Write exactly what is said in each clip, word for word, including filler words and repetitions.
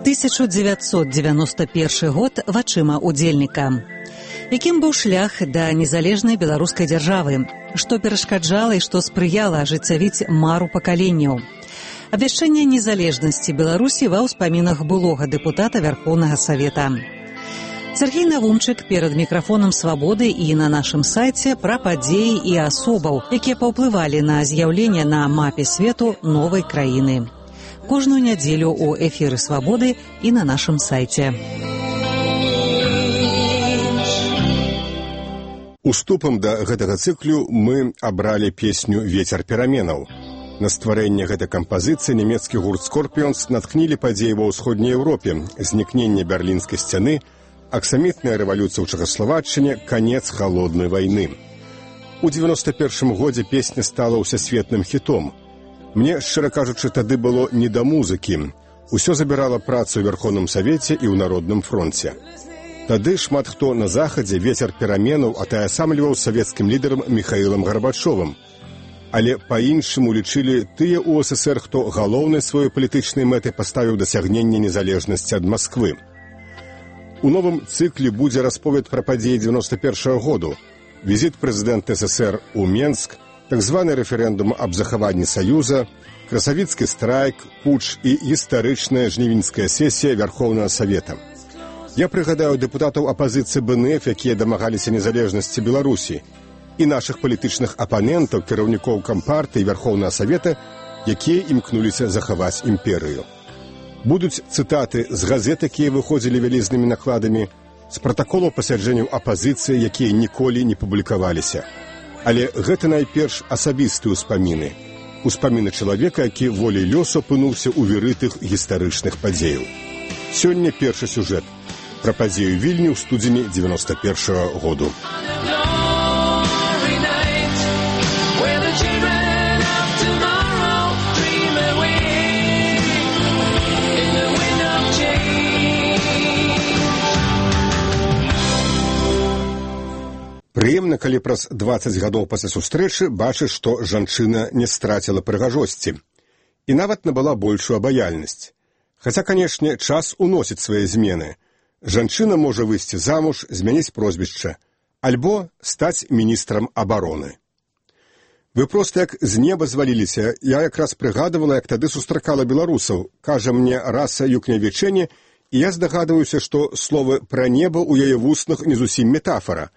тысяча девятьсот девяносто первый год вачыма удзельніка. Якім быў шлях да незалежнай беларускай дзяржавы, што перашкаджала і што спрыяла ажыццявіць мару пакаленняў. Абвяшчэнне незалежнасці Беларусі ва ўспамінах былога дэпутата Вярхоўнага Савета. Сергей Навумчык перад мікрафонам «Свабоды» і на нашым сайце пра падзеі і асобаў, якія паўплывалі на з'яўленне на мапе свету новай краіны. Кожную нядзелю ў эфіры «Свабоды» і на нашым сайце. Уступам да гэтага цыклю мы абралі песню «Вецер пераменаў». На стварэнне гэтай кампазіцыі нямецкі гурт «Скорпіонс» наткнілі падзеі ва ўсходняй Еўропе, знікненне берлінскай сцяны, аксамітная рэвалюцыя ў Чэхаславаччыне, канец халоднай вайны. У дзевяноста першым годзе песня стала ўсесветным хітом. Мне, шчыра кажучы, тады было не да музыкі. Усё забірала працу ў Верхоўным Савеце і ў Народным фронце. Тады шмат хто на захадзе вецер пераменаў атаясамліваў савецкім лідарам Міхаілам Гарбачовым. Але па-іншаму лічылі тыя ў СССР, хто галоўнай сваёй палітычнай мэтай паставіў дасягненне незалежнасці ад Масквы. У новым цыкле будзе расповед пра падзеі дзевяноста першага году, візіт прэзідэнта СССР у Менск, так званы рэферэндум аб захаванні Саюза, красавіцкі страйк, путч і гістарычная жнівеньская сесія Вярхоўнага Савета. Я прыгадаю дэпутатаў апазіцыі бэ эн эф, якія дамагаліся незалежнасці Беларусі, і нашых палітычных апанентаў, кіраўнікоў Кампартыі і Вярхоўнага Савета, якія імкнуліся захаваць імперыю. Будуць цытаты з газет, якія выходзілі вялізнымі накладамі, з пратаколаў пасяджэнняў апазіцыі, якія ніколі не публікаваліся. Але гэта найперш асабістыя ўспаміны. Успаміны чалавека, які волей лёсу апынуўся ў віры тых гістарычных падзеяў. Сёння першы сюжэт пра падзею Вільні ў студзені дзевяноста першага году. Прыемна, калі праз дваццаць гадоў пасля сустрэчы бачыш, што жанчына не страціла прыгажосці і нават набыла большую абаяльнасць. Хаця, канешне, час уносіць свае змены. Жанчына можа выйсці замуж, змяніць прозвішча, альбо стаць міністрам абароны. Вы проста як з неба зваліліся. Я якраз прыгадывала, як тады сустракала беларусаў. Кажа мне Раса Юкнявічэне, і я здагадваюся, што словы пра неба ў яе вуснах не зусім метафара.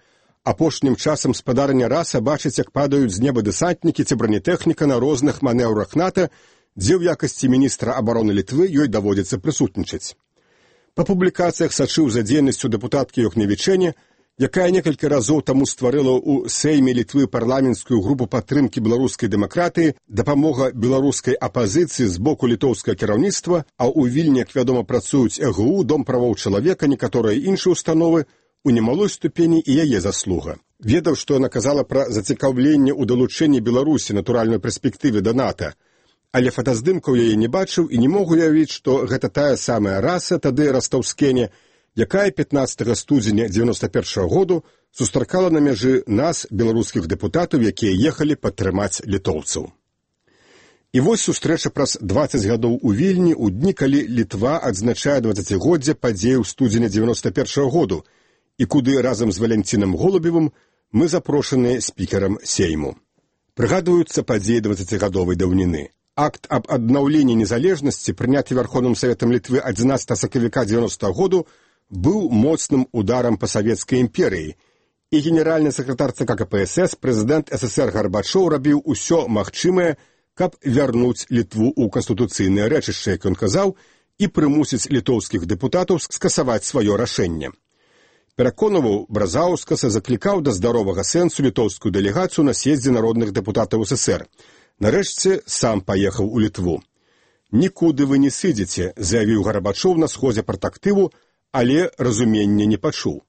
Апошнім часам спадарня Раса бачыць, як падаюць з неба дэсантнікі ці бронетэхніка на розных манеўрах НАТО, дзе ў якасці міністра абароны Літвы ёй даводзіцца прысутнічаць. Па публікацыях сачыў за дзейнасцю дэпутаткі Юкнявічэне, якая некалькі разоў таму стварыла ў Сейме Літвы парламенцкую групу падтрымкі беларускай дэмакратыі, дапамога беларускай апазіцыі з боку літоўскага кіраўніцтва, а ў Вільні, як вядома, працуюць э гэ у, Дом правоў чалавека, некаторыя іншыя установы, у немалой ступені і яе заслуга. Ведаў, што яна казала пра зацікаўленне ў далучэнні Беларусі натуральнай перспектыве да НАТО, але фотаздымкаў яе не бачыў і не мог уявіць, што гэта тая самая Раса, тады Растаўскене, якая пятнаццатага студзеня дзевяноста першага году сустракала на мяжы нас, беларускіх дэпутатаў, якія ехалі падтрымаць літоўцаў. І вось сустрэча праз дваццаць гадоў у Вільні ў дні, калі Літва адзначае дваццацігоддзе падзеяў студзеня дзевяноста першага году, і куды разам з Валянцінам Голубевым мы запрошаныя спікерам Сейму. Прыгадваюцца падзеі дваццацігадовай даўніны. Акт аб аднаўленні незалежнасці, прыняты Верховным Саветам Літвы адзінаццатага сакавіка дзевяностага году, быў моцным ударам па савецкай імперыі, і генеральны сакратар цэ ка ка пэ эс эс, прэзідэнт эс эс эр Гарбачоў рабіў усё магчымае, каб вярнуць Літву ў канстытуцыйнае рэчышча, як ён казаў, і прымусіць літоўскіх дэпутатаў скасаваць сваё рашэнне. Пераконаваў Бразаўскаса, заклікаў да здаровага сэнсу літоўскую дэлегацыю на съездзе народных дэпутатаў эс эс эр. Нарэшце сам паехаў у Літву. «Нікуды вы не сыдзеце», заявіў Гарбачоў на сходзе партактыву, але разумення не пачуў.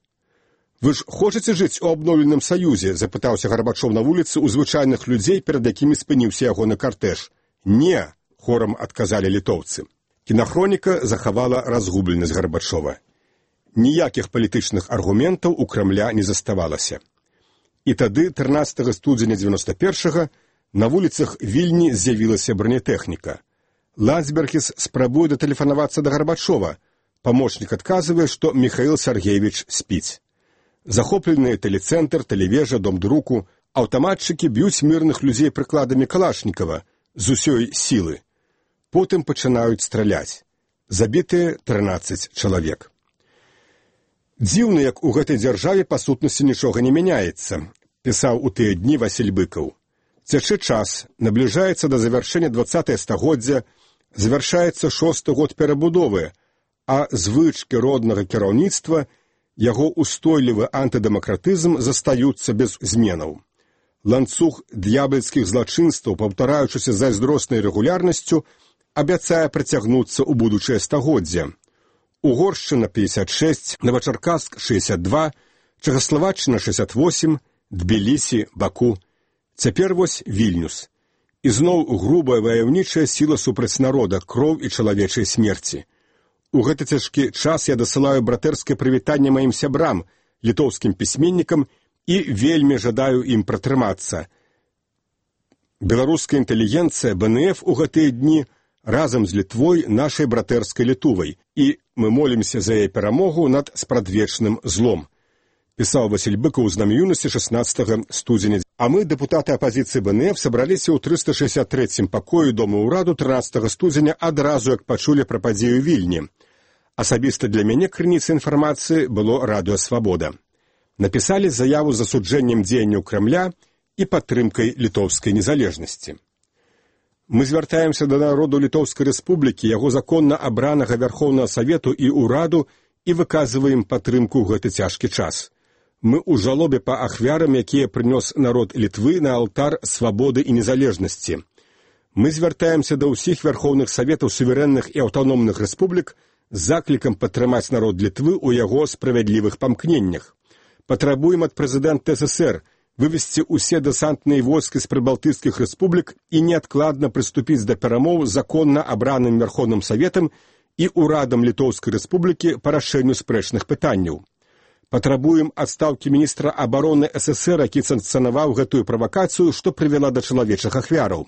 «Вы ж хочаце жыць у абноўленым саюзе?» – запытаўся Гарбачоў на вуліцы ў звычайных людзей, перад якімі спыніўся ягоны картэж. «Не», – хорам адказалі літоўцы. Кінахроніка захавала разгубленасць Гарбачова. Ніякіх палітычных аргументаў у Крамля не заставалася. І тады, трынаццатага студзеня дзевяноста першага, на вуліцах Вільні з'явілася бронетэхніка. Ландсбергіс спрабуе датэлефанавацца да Гарбачова, Памочнік адказвае, што Міхаіл Сергеевич спіць. Захопленыя тэлецэнтр, тэлевежа, дом друку, аўтаматчыкі б'юць мірных людзей прыкладамі Калашнікава з усёй сілы. Потым пачынаюць страляць. Забітыя трынаццаць чалавек. Дзіўна, як у гэтай дзяржаве па сутнасці нічога не мяняецца, пісаў у тыя дні Васіль Быкаў. Цячэ час, набліжаецца да завяршэння дваццатае стагоддзя, завяршаецца шосты год перабудовы, а звычкі роднага кіраўніцтва, яго устойлівы антыдэмакратызм застаюцца без зменаў. Ланцуг д'ябальскіх злачынстваў, паўтараючыся зайздроснай рэгулярнасцю, абяцае працягнуцца ў будучае стагоддзе. Угоршчына пятьдесят шесть, Новачаркасск шестьдесят два, Чэхаславаччына шестьдесят восемь, Тбілісі, Баку. Цяпер вось Вільнюс. Ізноў грубая ваяўнічая сіла супраць народа, кроў і чалавечай смерці. У гэты цяжкі час я дасылаю братэрскае прывітанне маім сябрам, літоўскім пісьменнікам, і вельмі жадаю ім пратрымацца. Беларуская інтэлігенцыя бэ эн эф у гэтыя дні разам з Літвой нашай братэрскай Літувай, і мы молімся за яе перамогу над спрадвечным злом. Пісаў Васіль Быкаў з намі юнасці шаснаццатага студзеня. А мы, дэпутаты апазіцыі бэ эн эф, сабраліся ў трыста шэсцьдзясят трэцім пакоі Дома ўраду трынаццатага студзеня адразу, як пачулі пра падзею Вільні. Асабіста для мяне крыніцай інфармацыі было Радыё Свабода. Напісалі заяву з засуджэннем дзеянняў Крамля і падтрымкай літоўскай незалежнасці. Мы звяртаемся да народу Літоўскай рэспублікі, яго законна абранага Вярхоўнага Савету і ўраду і выказваем падтрымку ў гэты цяжкі час. Мы ў жалобе па ахвярам, якія прынёс народ Літвы на алтар свабоды і незалежнасці. Мы звяртаемся да ўсіх Вярхоўных Саветаў суверэнных і аўтаномных рэспублік з заклікам падтрымаць народ Літвы ў яго справядлівых памкненнях. Патрабуем ад прэзідэнта эс эс эр вывесці ўсе дэсантныя войскі з прыбалтыйскіх рэспублік і неадкладна прыступіць да перамоў з законна абраным Вярхоўным Саветам і ўрадам Літоўскай рэспублікі па рашэнню спрэчных пытанняў. Патрабуем адстаўкі міністра абароны эс эс эр, які санкцыянаваў гэтую правакацыю, што прывяла да чалавечых ахвяраў.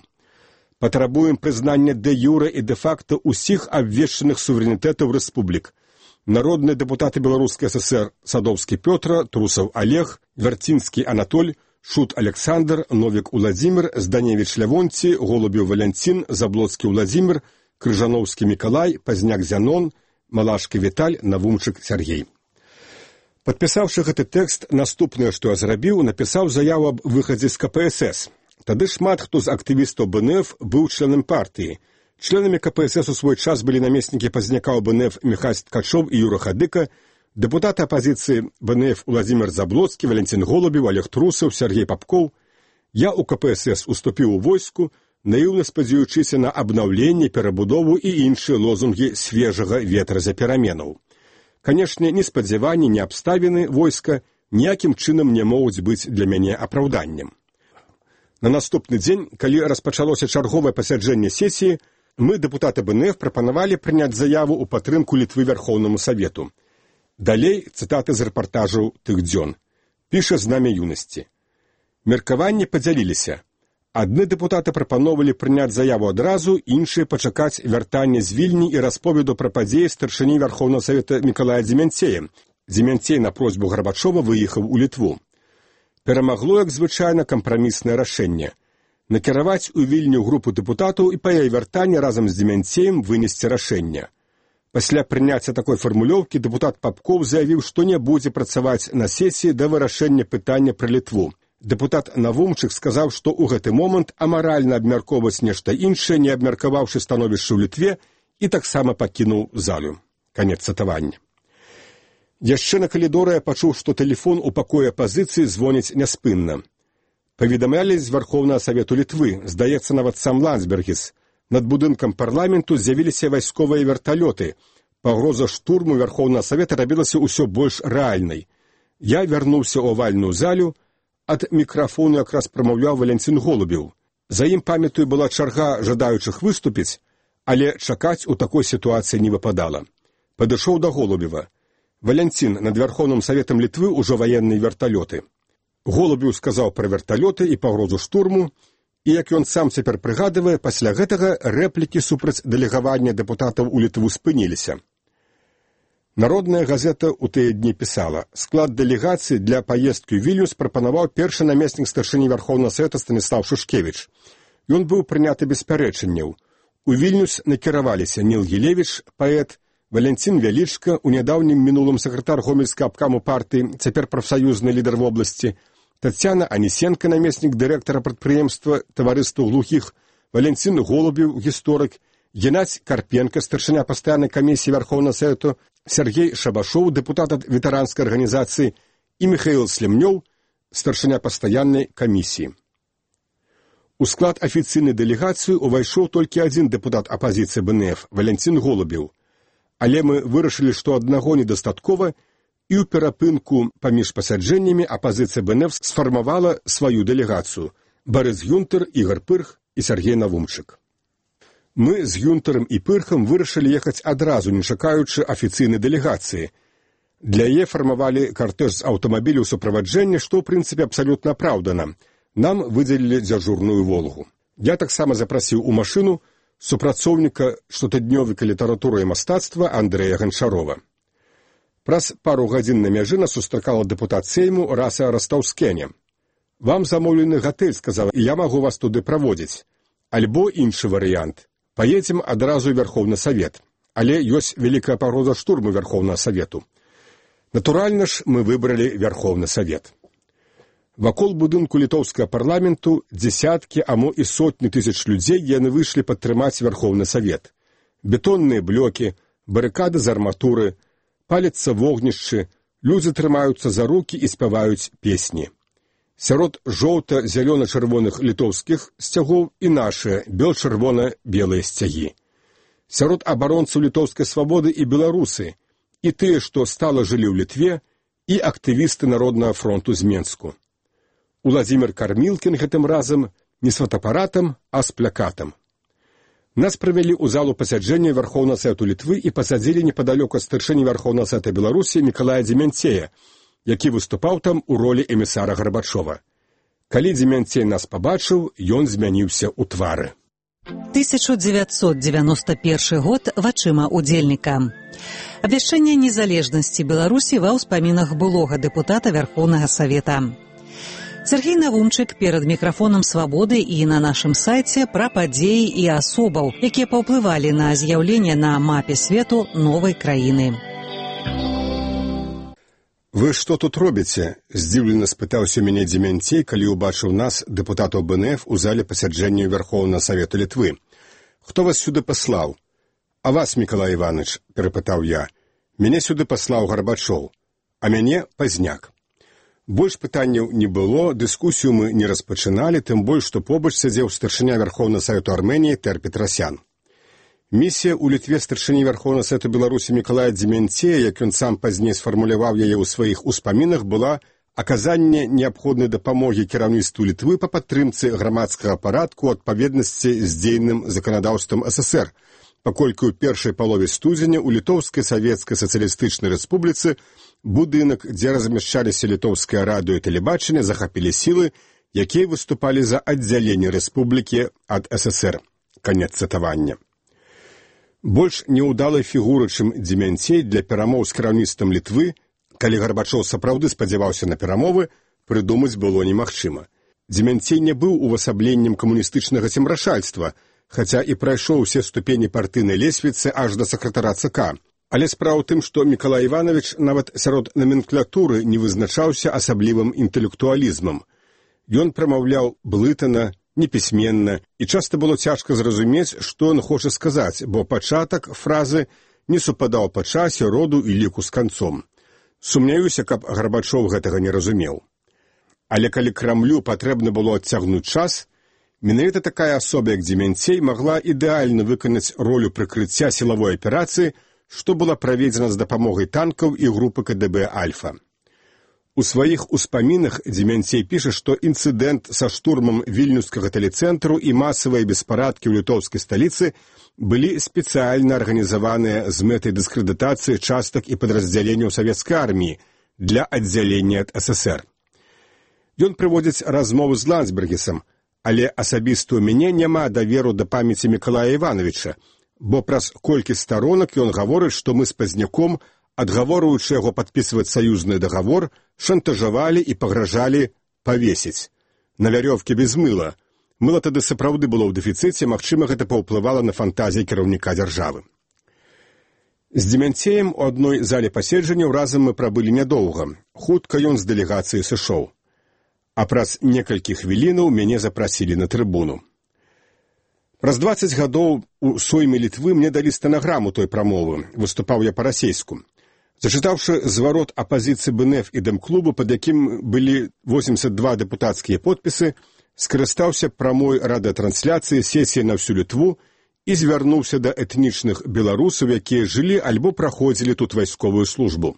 Патрабуем прызнання дэ-юрэ і дэ-факта ўсіх абвешчаных суверэнітэтаў рэспублік. Народныя дэпутаты Беларускай эс эс эр Садоўскі Пётра, Трусаў Олег, Вярцінскі Анатоль, Шут Александр, Новік Уладзімір, Зданевіч Лявонці, Голубеў Валянцін, Заблоцкі Уладзімір, Крыжаноўскі Мікалай, Пазняк Зянон, Малашкі Віталь, Навумчык Сергей. Падпісаўшы гэты тэкст, наступнае, што я зрабіў, напісаў заяву аб выхадзе з ка пэ эс эс. Тады шмат хто з актывістаў бэ эн эф быў членам партыі. Членамі ка пэ эс эс у свой час былі намеснікі пазняка ў бэ эн эф Міхась Ткачоў і Юра Хадыка, дэпутаты апазіцыі бэ эн эф Уладзімір Заблоцкі, Валянцін Голубеў, Олег Трусаў, Сергей Папкоў. Я ў ка пэ эс эс уступіў у войску, наіўна спадзяючыся на абнаўленне, перабудову і іншыя лозунгі свежага ветра за пераменаў. Канешне, ні спадзяванні, ні абставіны войска ніякім чынам не могуць быць для мяне апраўданнем. На наступны дзень, калі распачалося чарговае пасяджэнне сесіі, мы, дэпутаты бэ эн эф, прапанавалі прыняць заяву ў падтрымку Літвы Вярхоўнаму Савету. Далей цытаты з рэпартажаў тых дзён. Піша з намі юнасці. Меркаванні падзяліліся. Адны дэпутаты прапановалі прыняць заяву адразу, іншыя пачакаць вяртання з Вільні і расповеду пра падзеі старшыні Вярхоўнага Савета Мікалая Дземянцея. Дземянцей на просьбу Гарбачова выехаў у Літву. Перамагло, як звычайна, кампраміснае рашэнне. Накіраваць у Вільню групу дэпутатаў і па яе вяртанні разам з Дземянцеем вынесці рашэнне. Пасля прыняцця такой фармулёўкі дэпутат Папкоў заявіў, што не будзе працаваць на сесіі да вырашэння пытання пра Літву. Дэпутат Навумчык сказаў, што ў гэты момант амаральна абмяркоўваць нешта іншае, не абмеркаваўшы становішча ў Літве, і таксама пакінуў залю. Канец цытавання. Яшчэ на калідоры я пачуў, што тэлефон у пакоі апазіцыі звоніць няспынна. Паведамлялі з Вярхоўнага Савету Літвы, здаецца, нават сам Ландсбергіс. Над будынкам парламенту з'явіліся вайсковыя верталёты. Пагроза штурму Вярхоўнага Савета рабілася ўсё больш рэальнай. Я вярнуўся ў авальную залю, ад мікрафону якраз прамаўляў Валянцін Голубеў. За ім, памятаю, была чарга жадаючых выступіць, але чакаць у такой сітуацыі не выпадала. Падышоў да Голубева. Валянцін, над Вярхоўным Саветам Літвы ўжо ваенныя верталёты. Голубеў сказаў пра верталёты і пагрозу штурму, і, як ён сам цяпер прыгадывае, пасля гэтага рэплікі супраць дэлегавання дэпутатаў у Літву спыніліся. Народная газета ў тыя дні пісала: склад дэлегацыі для паездкі ў Вільнюс прапанаваў першы намеснік старшыні Вярхоўнага Савета Станіслав Шушкевіч. Ён быў прыняты без пярэчанняў. У Вільнюс накіраваліся Ніл Гілевіч, паэт, Валянцін Вялічка, у нядаўнім мінулым сакратар гомельскага абкаму партыі, цяпер прафсаюзны лідар вобласці, Тацяна Анісенка, намеснік дырэктара прадпрыемства таварыства глухіх, Валянцін Голубеў, гісторык, Геннадзь Карпенка, старшыня пастаяннай камісіі Вярхоўнага Савету, Сергей Шабашоў, дэпутат ад ветэранскай арганізацыі, і Міхаіл Слемнёў, старшыня пастаяннай камісіі. У склад афіцыйнай дэлегацыі увайшоў толькі адзін дэпутат апазіцыі бэ эн эф, Валянцін Голубеў. Але мы вырашылі, што аднаго недастаткова, і ў перапынку паміж пасяджэннямі апазіцыя бэ эн эф сфармавала сваю дэлегацыю – Барыс Гюнтер, Ігар Пырх і Сергей Навумчык. Мы з Гюнтерам і Пырхам вырашылі ехаць адразу, не чакаючы афіцыйнай дэлегацыі. Для яе фармавалі картэж з аўтамабіляў суправаджэння, што, ў прынцыпе, абсалютна апраўдана. Нам выдзелілі дзяжурную «Волгу». Я таксама запрасіў у машыну супрацоўніка штотыднёвіка літаратуры і мастацтва Андрэя Ганчарова. Праз пару гадзін на мяжы нас сустракала дэпутат Сейму Раса Растаўскене. «Вам замоўлены гатэль», сказала, «і я магу вас туды праводзіць. Альбо іншы варыянт. Паедзем адразу ў Вярхоўны Савет. Але ёсць вялікая пагроза штурму Вярхоўнага Савету». Натуральна ж, мы выбралі Вярхоўны Савет. Вакол будынку літоўскага парламенту дзесяткі, а мо і сотні тысяч людзей яны выйшлі падтрымаць Вярхоўны Савет. Бетонныя блокі, барыкады з арматуры, палецца вогнішчы, людзі трымаюцца за рукі і спяваюць песні. Сярод жоўта-зялёна-чырвоных літоўскіх сцягоў і нашыя бел-чырвона-белыя сцягі. Сярод абаронцаў літоўскай свабоды і беларусы, і тыя, што стала жылі ў Літве, і актывісты Народнага фронту з Менску. Уладзімір Кармілкін гэтым разам не з фотапаратам, а з плакатам. Нас правялі ў залу пасяджэння Вярхоўнага Савету Літвы і пасадзілі непадалёку ад старшыні Вярхоўнага Савета Беларусі Мікалая Дземянцея, які выступаў там у ролі эмісара Гарбачова. Калі Дземянцей нас пабачыў, ён змяніўся ў твары. тысяча дзевяцьсот дзевяносто першы год вачыма удзельніка. Абвяшчэнне незалежнасці Беларусі ва ўспамінах былога дэпутата Вярхоўнага Савета. Сергей Навумчык перад мікрафонам «Свабоды» і на нашым сайце пра падзеі і асобаў, якія паўплывалі на з'яўленне на мапе свету новай краіны. «Вы што тут робіце?» – здзіўлена спытаўся мяне Дземянцей, калі ўбачыў нас, дэпутатаў бэ эн эф, у зале пасяджэння Вярхоўнага Савету Літвы. «Хто вас сюды паслаў?» «А вас, Мікалай Іваныч?» – перапытаў я. «Мяне сюды паслаў Гарбачоў, а мяне Пазняк». Больш пытанняў не было, дыскусію мы не распачыналі, тым больш, што побач сядзеў старшыня Вярхоўнага Савету Арменіі Тэр Петрасян. Місія ў Літве старшыні Вярхоўнага Савету Беларусі Мікалая Дземянцея, як ён сам пазней сфармуляваў яе ў сваіх успамінах, была аказанне неабходнай дапамогі кіраўніцтву Літвы па падтрымцы грамадскага парадку ў адпаведнасці з дзейным заканадаўствам эс эс эр, паколькі ў першай палове студзеня ў Літоўскай Савецкай Сацыялістычнай Рэспубліцы будынак, дзе размяшчаліся літоўскае радыё і тэлебачанне, захапілі сілы, якія выступалі за аддзяленне рэспублікі ад эс эс эр. Канец цытавання. Больш неўдалай фігуры, чым Дземянцей для перамоў з кіраўніцтвам Літвы, калі Гарбачоў сапраўды спадзяваўся на перамовы, прыдумаць было немагчыма. Дземянцей не быў увасабленнем камуністычнага цемрашальства, хаця і прайшоў усе ступені партыйнай лесвіцы аж да сакратара ЦК. Але справа ў тым, што Мікалай Іванович нават сярод наменклатуры не вызначаўся асаблівым інтэлектуалізмам. Ён прамаўляў блытана, непісьменна, і часта было цяжка зразумець, што ён хоча сказаць, бо пачатак фразы не супадаў па часе, роду і ліку з канцом. Сумняюся, каб Гарбачоў гэтага не разумеў. Але калі Крамлю патрэбна было адцягнуць час, менавіта такая асоба, як Дземянцей, магла ідэальна выканаць ролю прыкрыцця сілавой аперацыі, што была праведзена з дапамогай танкаў і групы ка дэ бэ «Альфа». У сваіх успамінах Дземянцей піша, што інцыдэнт са штурмам вільнюскага тэлецэнтру і масавыя беспарадкі ў літоўскай сталіцы былі спецыяльна арганізаваныя з мэтай дыскрэдытацыі частак і падраздзяленняў савецкай арміі для аддзялення ад эс эс эр. Ён прыводзіць размову з Ландсбергісам, але асабіста ў мяне няма даверу да памяці Мікалая Івановича, бо праз колькі старонак ён гаворыць, што мы з Пазняком адгаворваючы яго падпісваць саюзны дагавор, шантажавалі і пагражалі павесіць. На вярёвкі без мыла. Мыла тады сапраўды было ў дэфіцыце, магчыма, гэта паўплывала на фантазіі кіраўніка дзяржавы. З Демянцеем у адной зале паседжанняў разам мы прабылі нядоўга. Хутка ён з дэлегацыі сышоў. А праз некалькі хвілінаў мяне запрасілі на трыбуну. Праз дваццаць гадоў у Сойме Літвы мне далі стэнаграму той прамовы, выступаў я па-расейску. Зачытаўшы зварот апазіцыі БНФ і Дэм-клубу, пад якім былі восемьдесят два дэпутацкія подпісы, скарыстаўся прамой радыётрансляцыі сесіі на всю Літву і звярнуўся да этнічных беларусаў, якія жылі альбо праходзілі тут вайсковую службу.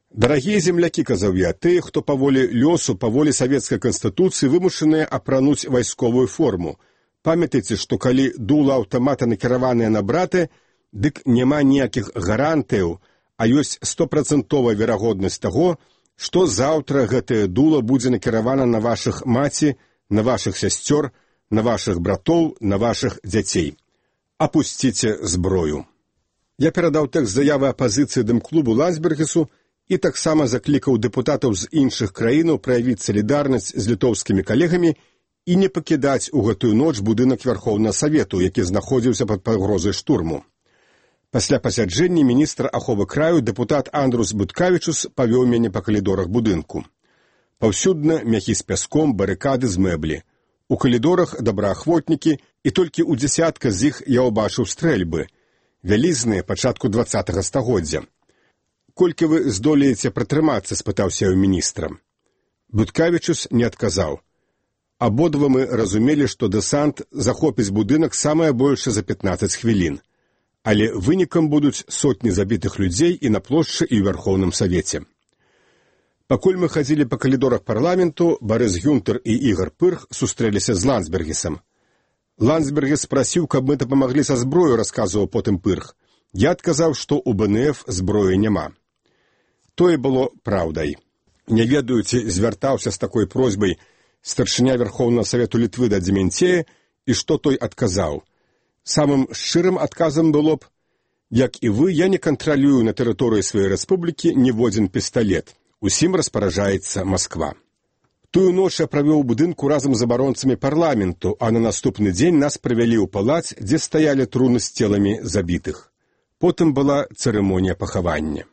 Дарагія землякі, казаў я, тыя, хто паволі лёсу, паволі савецкай канстытуцыі вымушаныя апрануць вайсковую форму. Памятайце, што калі дула аўтамата накіраваныя на браты, дык няма ніякіх гарантыяў, а ёсць стопрацэнтовая верагоднасць таго, што заўтра гэтае дула будзе накіравана на вашых маці, на вашых сясцёр, на вашых братоў, на вашых дзяцей. Апусціце зброю. Я перадаў тэкст заявы апазіцыі Дэм-клубу Ландсбергісу і таксама заклікаў дэпутатаў з іншых краінаў праявіць салідарнасць з літоўскімі калегамі і не пакідаць у гэтую ноч будынак Вярхоўнага Савету, які знаходзіўся пад пагрозай штурму. Пасля пасяджэння міністр аховы краю дэпутат Андрус Буткавічус павёў мяне па калідорах будынку. Паўсюдна мяхі з пяском, барыкады з мэблі. У калідорах добраахвотнікі, і толькі ў дзясятка з іх я ўбачыў стрэльбы, вялізныя пачатку дваццатага стагоддзя. «Колькі вы здолееце пратрымацца?» – спытаўся я ў міністра. Буткавічус не адказаў. Абодва мы разумелі, што дэсант захопіць будынак самае большае за пятнаццаць хвілін. Але вынікам будуць сотні забітых людзей і на плошчы, і ў Вярхоўным Савеце. Пакуль мы хадзілі па калідорах парламенту, Барыс Гюнтер і Ігар Пырх сустрэліся з Ландсбергісам. Ландсбергіс прасіў, каб мы дапамаглі са зброю, расказваў потым Пырх. Я адказаў, што ў БНФ зброі няма. Тое было праўдай. Не ведаю, ці звяртаўся з такой просьбай старшыня Вярхоўнага Савету Літвы да Демянцея, і што той адказаў. Самым шчырым адказам было б: як і вы, я не кантралюю на тэрыторыі сваёй рэспублікі ніводзін пісталет. Усім распаражаецца Масква. Тую ноч я правёў у будынку разам з абаронцамі парламенту, а на наступны дзень нас прывялі ў палац, дзе стаялі труны з целамі забітых. Потым была цырымонія пахавання.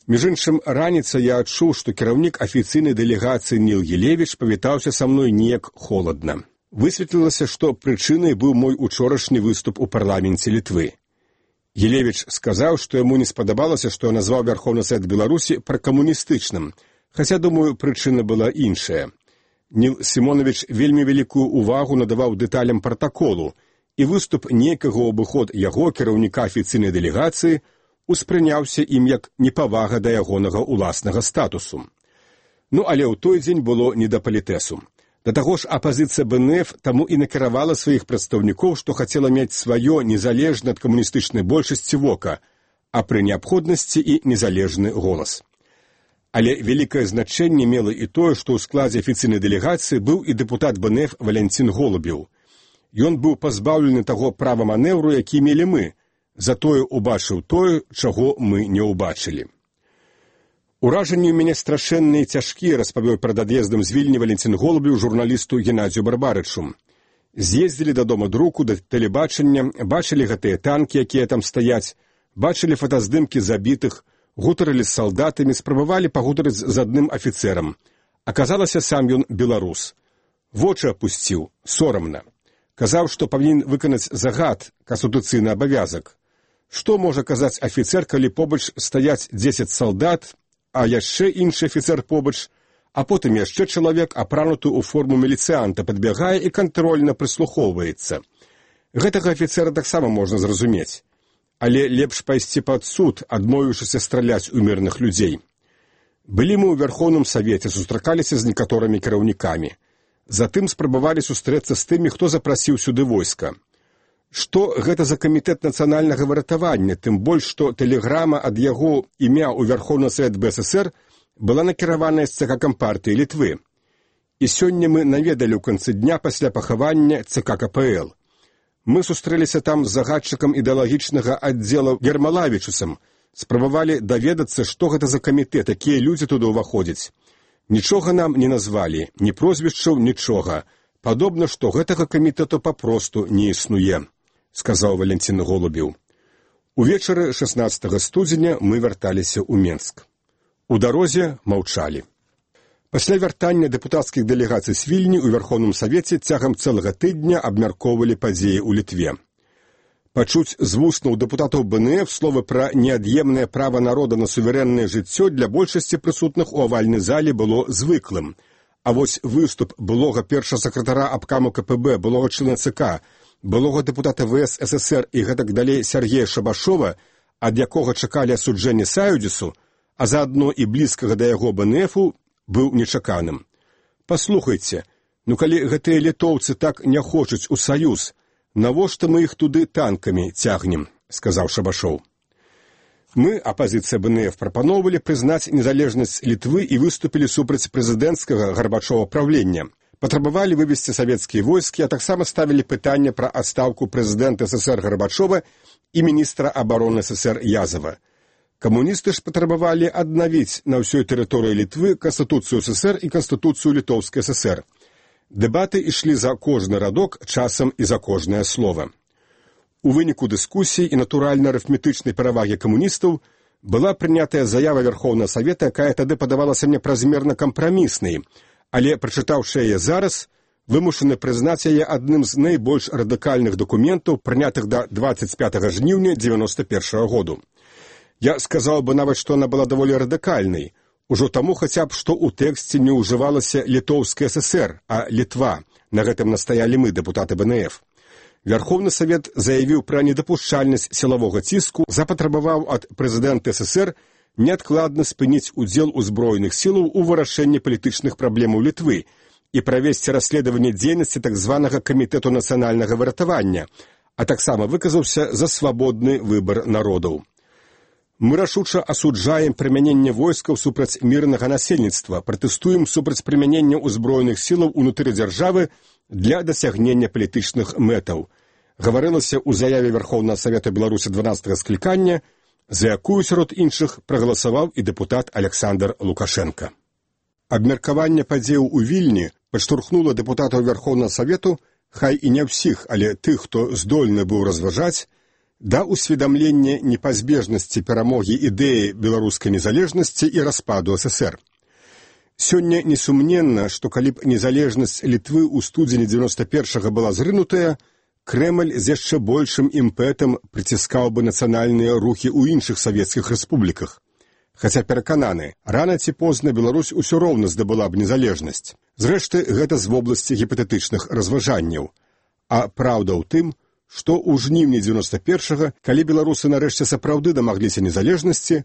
Між іншым, раніцай я адчуў, што кіраўнік афіцыйнай дэлегацыі Ніл Елевіч павітаўся са мной неяк холадна. Высветлілася, што прычынай быў мой учорашні выступ у парламенце Літвы. Елевіч сказаў, што яму не спадабалася, што я назваў Вярхоўны Савет Беларусі пракамуністычным, хаця, думаю, прычына была іншая. Ніл Сімонавіч вельмі вялікую ўвагу надаваў дэталям пратаколу, і выступ нейкага ў абыход яго, кіраўніка афіцыйнай дэлегацыі, успрыняўся ім як непавага да ягонага ўласнага статусу. Ну, але ў той дзень было не да палітэсу. Да таго ж апазіцыя БНФ таму і накіравала сваіх прадстаўнікоў, што хацела мець сваё незалежна ад камуністычнай большасці вока, а пры неабходнасці і незалежны голас. Але вялікае значэнне мела і тое, што ў складзе афіцыйнай дэлегацыі быў і дэпутат БНФ Валянцін Голубеў. Ён быў пазбаўлены таго права манэўру, які мелі мы, затое убачыў тое, чаго мы не ўбачылі. Уражанні ў мяне страшэнныя і цяжкія, распавёў перад ад'ездам з Вільні Валянцін Голубеў журналісту Геннадзію Барбарычу. З'ездзілі да дома друку, да тэлебачання, бачылі гэтыя танкі, якія там стаяць, бачылі фотаздымкі забітых, гутарылі з салдатамі, спрабавалі пагутарыць з адным афіцэрам. Аказалася, сам ён беларус. Вочы апусціў, сорамна. Казаў, што павінен выканаць загад, канстытуцыйны абавязак. Што можа казаць афіцэр, калі побач стаяць дзесяць салдат, а яшчэ іншы афіцэр побач, а потым яшчэ чалавек, апрануты ў форму міліцыянта, падбягае і кантрольна прыслухоўваецца. Гэтага афіцэра таксама можна зразумець. Але лепш пайсці пад суд, адмовіўшыся страляць у мірных людзей. Былі мы ў Вярхоўным Савеце, сустракаліся з некаторымі кіраўнікамі. Затым спрабавалі сустрэцца з тымі, хто запрасіў сюды войска. Што гэта за камітэт нацыянальнага выратавання, тым больш, што тэлеграма ад яго імя ў Вярхоўны Савет БССР была накіраваная з ЦК Кампартыі Літвы. І сёння мы наведалі ў канцы дня пасля пахавання ЦК КПЛ. Мы сустрэліся там з загадчыкам ідэалагічнага аддзела Гермалавічусам, Спрабавалі даведацца, што гэта за камітэт, якія людзі туды ўваходзяць. Нічога нам не назвалі, ні прозвішчаў, нічога. Падобна, што гэтага камітэту папросту не існуе, сказаў Валентин Голубеў. Увечары шаснаццатага студзеня мы вярталіся ў Менск. У дарозе маўчалі. Пасля вяртання дэпутацкіх дэлегацый з Вільні ў Верховным Савеце цягам цэлага тыдня абмяркоўвалі падзеі ў Літве. Пачуць з вуснаў дэпутатаў БНФ словы пра неад'емнае права народа на суверэннае жыццё для большасці прысутных у авальнай зале было звыклым. А вось выступ былога першага сакратара абкаму КПБ, былога члена ЦК, былога дэпутата ВС ССР і гэтак далей Сергея Шабашова, ад якога чакалі асуджэння Саюдзісу, а заадно і блізкага да яго БНФу, быў нечаканым. Паслухайце, ну калі гэтыя літоўцы так не хочуць у саюз, навошта мы іх туды танкамі цягнем, сказаў Шабашоў. Мы, апазіцыя БНФ, прапаноўвалі прызнаць незалежнасць Літвы і выступілі супраць прэзідэнцкага Гарбачова правлення. Патрабавалі вывесці савецкія войскі, а таксама ставілі пытанне пра адстаўку прэзідэнта ССР Гарбачова і міністра абароны ССР Язава. Камуністы ж патрабавалі аднавіць на ўсёй тэрыторыі Літвы Канстытуцыю ССР і Канстытуцыю Літоўскай ССР. Дэбаты ішлі за кожны радок, часам і за кожнае слова. У выніку дыскусій і натуральна-арыфметычнай перавагі камуністаў была прынятая заява Верховнага Савета, якая тады падавалася мне празмерна кампраміснай, але, прачытаўшы яе зараз, вымушаны прызнаць яе адным з найбольш радыкальных дакументаў, прынятых да дваццаць пятага жніўня дзевяноста першага году. Я сказаў бы нават, што она была даволі радыкальнай, ужо таму хаця б, што ў тэксце не ўжывалася Літоўская ССР, а Літва. На гэтым настаялі мы, дэпутаты БНФ. Верховны Савет заявіў пра недапушчальнасць сілавога ціску, запатрабаваў ад прэзідэнта ССР неадкладна спыніць удзел узброеных сілаў у вырашэнні палітычных праблемаў Літвы і правесці расследаванне дзейнасці так званага камітэту нацыянальнага выратавання, а таксама выказаўся за свабодны выбар народаў. Мы рашуча асуджаем прымяненне войскаў супраць мірнага насельніцтва, пратэстуем супраць прымянення ўзброеных сілаў унутры дзяржавы для дасягнення палітычных мэтаў. Гаварылася ў заяве Верховнага Савета Беларусі дванаццатага склікання, за якую сярод іншых прагаласаваў і дэпутат Александр Лукашенко. Абмеркаванне падзеяў у Вільні падштурхнула дэпутатаў Верховнага Савету, хай і не ўсіх, але тых, хто здольны быў разважаць, да усведамлення непазбежнасці перамогі ідэі беларускай незалежнасці і распаду ССР. Сёння несумненна, што калі б незалежнасць Літвы ў студзені дзевяноста першага была зрынутая, Крэмль з яшчэ большым імпэтам прыціскаў бы нацыянальныя рухі ў іншых савецкіх рэспубліках. Хаця перакананы, рана ці позна Беларусь усё роўна здабыла б незалежнасць. Зрэшты, гэта з вобласці гіпатэтычных разважанняў. А праўда ў тым, што ў жніўні дзевяноста першага, калі беларусы нарэшце сапраўды дамагліся незалежнасці,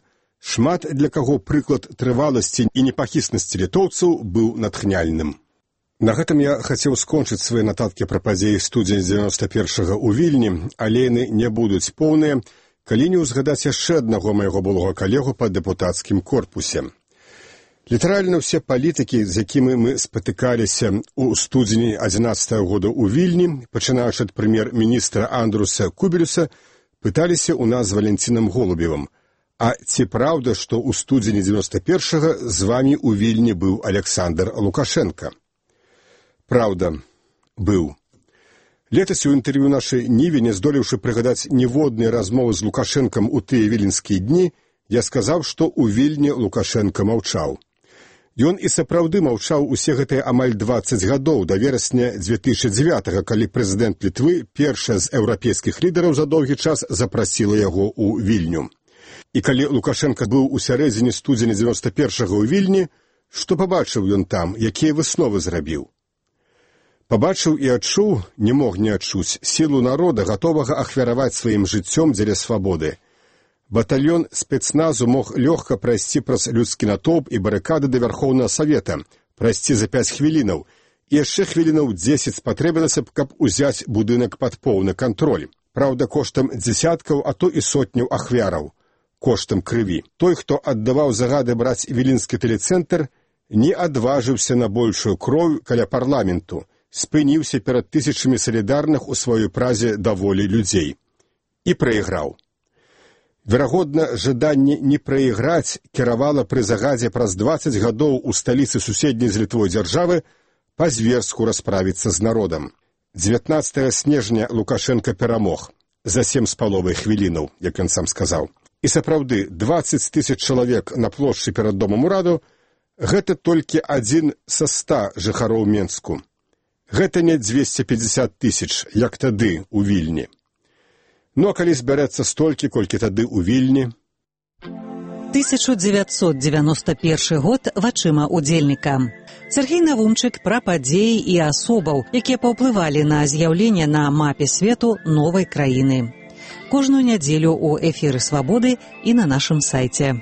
шмат для каго прыклад трываласці і непахіснасці літоўцаў быў натхняльным. На гэтым я хацеў скончыць свае нататкі пра падзеі студзеня дзевяноста першага ў Вільні, але яны не будуць поўныя, калі не ўзгадаць яшчэ аднаго майго былога калегу па дэпутацкім корпусе. Літаральна ўсе палітыкі, з якімі мы спатыкаліся ў студзені адзінаццатага года ў Вільні, пачынаючы ад прэм'ер-міністра Андруса Кубелюса, пыталіся ў нас з Валентинам Голубевым. А ці праўда, што ў студзені дзевяноста першага з вамі ў Вільні быў Александр Лукашенко? Праўда, быў. Летась у інтэрв'ю нашай Ніве, не здолеўшы прыгадаць ніводнай размовы з Лукашэнкам у тыя віленскія дні, я сказаў, што ў Вільні Лукашенко маўчаў. Ён і сапраўды маўчаў усе гэтыя амаль дваццаць гадоў да верасня дзве тысячы дзевятага, калі прэзідэнт Літвы, першая з еўрапейскіх лідараў за доўгі час, запрасіла яго ў Вільню. І калі Лукашенко быў у сярэдзіне студзеня дзевяноста першага ў Вільні, што пабачыў ён там, якія высновы зрабіў? Пабачыў і адчуў, не мог не адчуць, сілу народа, гатовага ахвяраваць сваім жыццём дзеля свабоды. Батальён спецназу мог лёгка прайсці праз людскі натоўп і барыкады да Верховнага Савета, прайсці за пяць хвілінаў, і яшчэ хвілінаў дзесяць спатрэбілася б, каб узяць будынак пад поўны кантроль. Праўда, коштам дзесяткаў, а то і сотняў ахвяраў, коштам крыві. Той, хто аддаваў загады браць віленскі тэлецэнтр, не адважыўся на большую кроў каля парламенту, спыніўся перад тысячамі салідарных у сваёй празе да волі людзей. І прайграў. Верагодна, жаданне не прайграць кіравала пры загадзе праз дваццаць гадоў у сталіцы суседняй з Літвой дзяржавы па-зверску расправіцца з народам. дзевятнаццатага снежня Лукашенка перамог за сем з паловай хвілінаў, як ён сам сказаў. І сапраўды, дваццаць тысяч чалавек на плошчы перад домам ураду – гэта толькі адзін са ста жыхароў Менску. Гэта не дзвесце пятьдесят тысяч, як тады у Вільні. Ну, а калі збярэцца столькі, колькі тады ў Вільні? тысяча дзевяцьсот дзевяносто першы год вачыма удзельніка. Сергей Навумчык пра падзеі і асобаў, якія паўплывалі на з'яўленне на мапе свету новай краіны. Кожную нядзелю ў эфіры «Свабоды» і на нашым сайце.